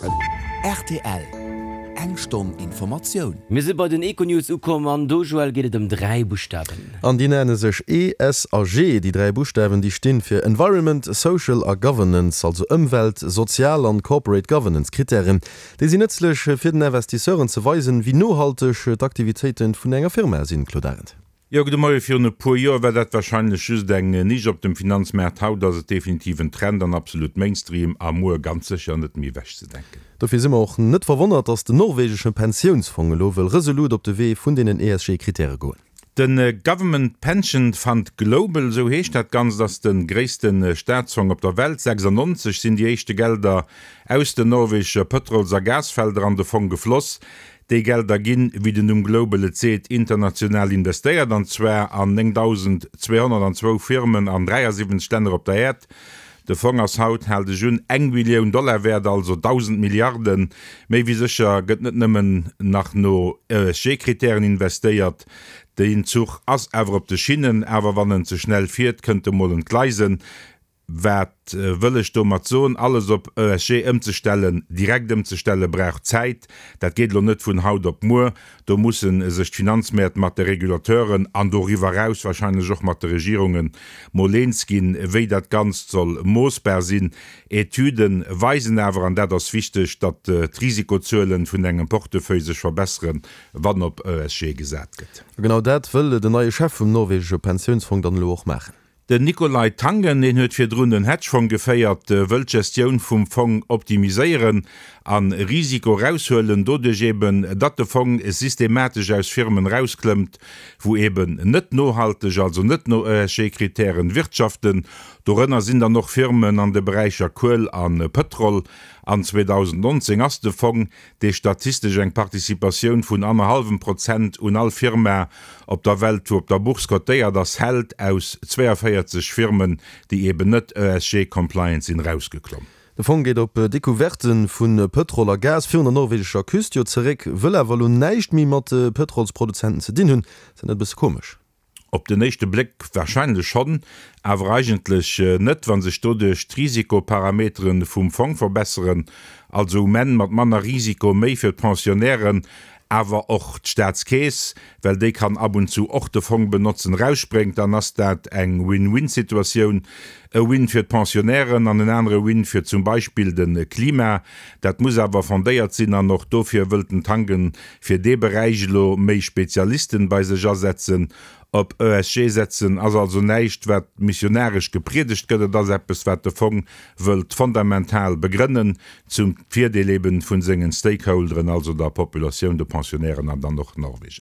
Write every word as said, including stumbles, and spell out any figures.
Rtl, Eng Stonn Informatioun. Mir si bei den Econews ukomm an do, Joël, geet et ëm dräi Buschtawen. An déi nenne sech E, S a G. Déi dräi Buschtawen, déi stinn fir Environment, Social a Governance, also Ëmwelt-, Sozial an Corporate Governance Krittären. Déi sinn nëtzlech fir den Investisseuren ze weisen, wéi nohalteg d'Aktivitéite vun enger Firma sinn. Claude Arend. Jo, gudde Moie. Virun e puer Joer war dat warscheinlech just eng Nisch op dem Finanzmaart. Haut ass et definitiv en Trend an absolut Mainstream a muer ganz sécher net méi ewechzedenken. Dofir si mer och net verwonnert, datt den norwegesche Pensiounsfong elo wëll resolut op de Wee vun deenen E S G-Krittäre goen. De Government Pension Fund Global, esou heescht dat Ganzt, ass de gréisste Staatsfong op der Welt. Sechsundneunzeg sinn déi éischte Gelder aus den norwegesche Pëtrols a Gasfelder an de Fong gefloss. Déi Gelder ginn, wéi den Numm Global et seet, international investéiert, an zwar an néngdausendzweehonnertzwou Firmen an dräiasiwwenzeg Länner op der Äerd. De Fong ass haut, haalt ech un, eng Billioun Dollar wäert, also dausend Milliarden. Méi wéi sécher gëtt net nëmmen nach no E S G-Kritären investéiert. Den Zuch ass awer op de Schinnen, awer wann en ze schnell fiert, kënnt e mol entgleisen. Wat wëll ech domat soen? Alles op E S G ëmzestellen, direkt ëmzestellen, brauch Zäit. Dat geet elo net vun haut op muer. Do mussen sech d'Finanzmäert mat de Regulateuren an doriwwer raus wahrscheinlech och mat de Regierungen mol eens ginn, wéi dat Ganzt soll moossbar sinn. Etüden weisen awer, an dat ass wichteg, datt d'Risikozuelen vun engem Portefeuille sech verbesseren, wann op E S G gesat gëtt. Genau dat wëll den neie Chef vum norwegesche Pensiounsfong dann elo och maachen. Den Nicolai Tangen, deen huet virdrun den Hedgefonds geféiert, wëll d'Gestioun vum Fong optimiséieren an Risiko raushuelen, doduerch eben, datt de Fong systematesch aus Firmen rausklëmmt, wou eben net nohalteg, also net no E S G-Kritären wirtschaften. Dorënner sinn dann och Firmen an de Beräicher Kuel an Pëtrol. An zweedausendnonzéng ass de Fong, dee statistesch eng Participatioun vun anderthalbem Prozent un all Firma op der Welt, wou op der Bourse kotéiert ass, hält, aus zweiundvierzig Firmen, déi eben net E S G-compliant sinn, rausgeklomm. De Fong geet op Decouverte vun Pëtrol a Gas virun der norwegescher Küst jo zeréck, wëll awer elo näischt méi mat Pëtrolsproduzenten ze dinn hunn. Ass dat net e bësse komesch? Op den éischte Bléck wahrscheinlech schonn, awer eigentlech net, wann sech doduerch d'Risikoparameteren vum Fong verbesseren, also um Enn mat manner Risiko méi fir d'Pensionnairen, awer och d'Staatskeess, well déi kann ab und zu och de Fong benotzen, rausspréngt, dann ass dat eng Win-Win-Situatioun. E Win fir d'Pensionnairen an en anere Win fir zum Beispill de Klima. Dat muss awer fondéiert sinn an och dofir wëll den Tangen fir dee Beräich elo méi Spezialisten bei sech asetzen. Op E S G setzen ass also näischt, wat missionarisch gepriedegt gëtt, et ass eppes, wat de Fong wëllt fundamental begrënnen, zum Virdeel eben vun sengen Stakeholderen, also der Populatioun, de Pensionnairen an dann och Norwegen.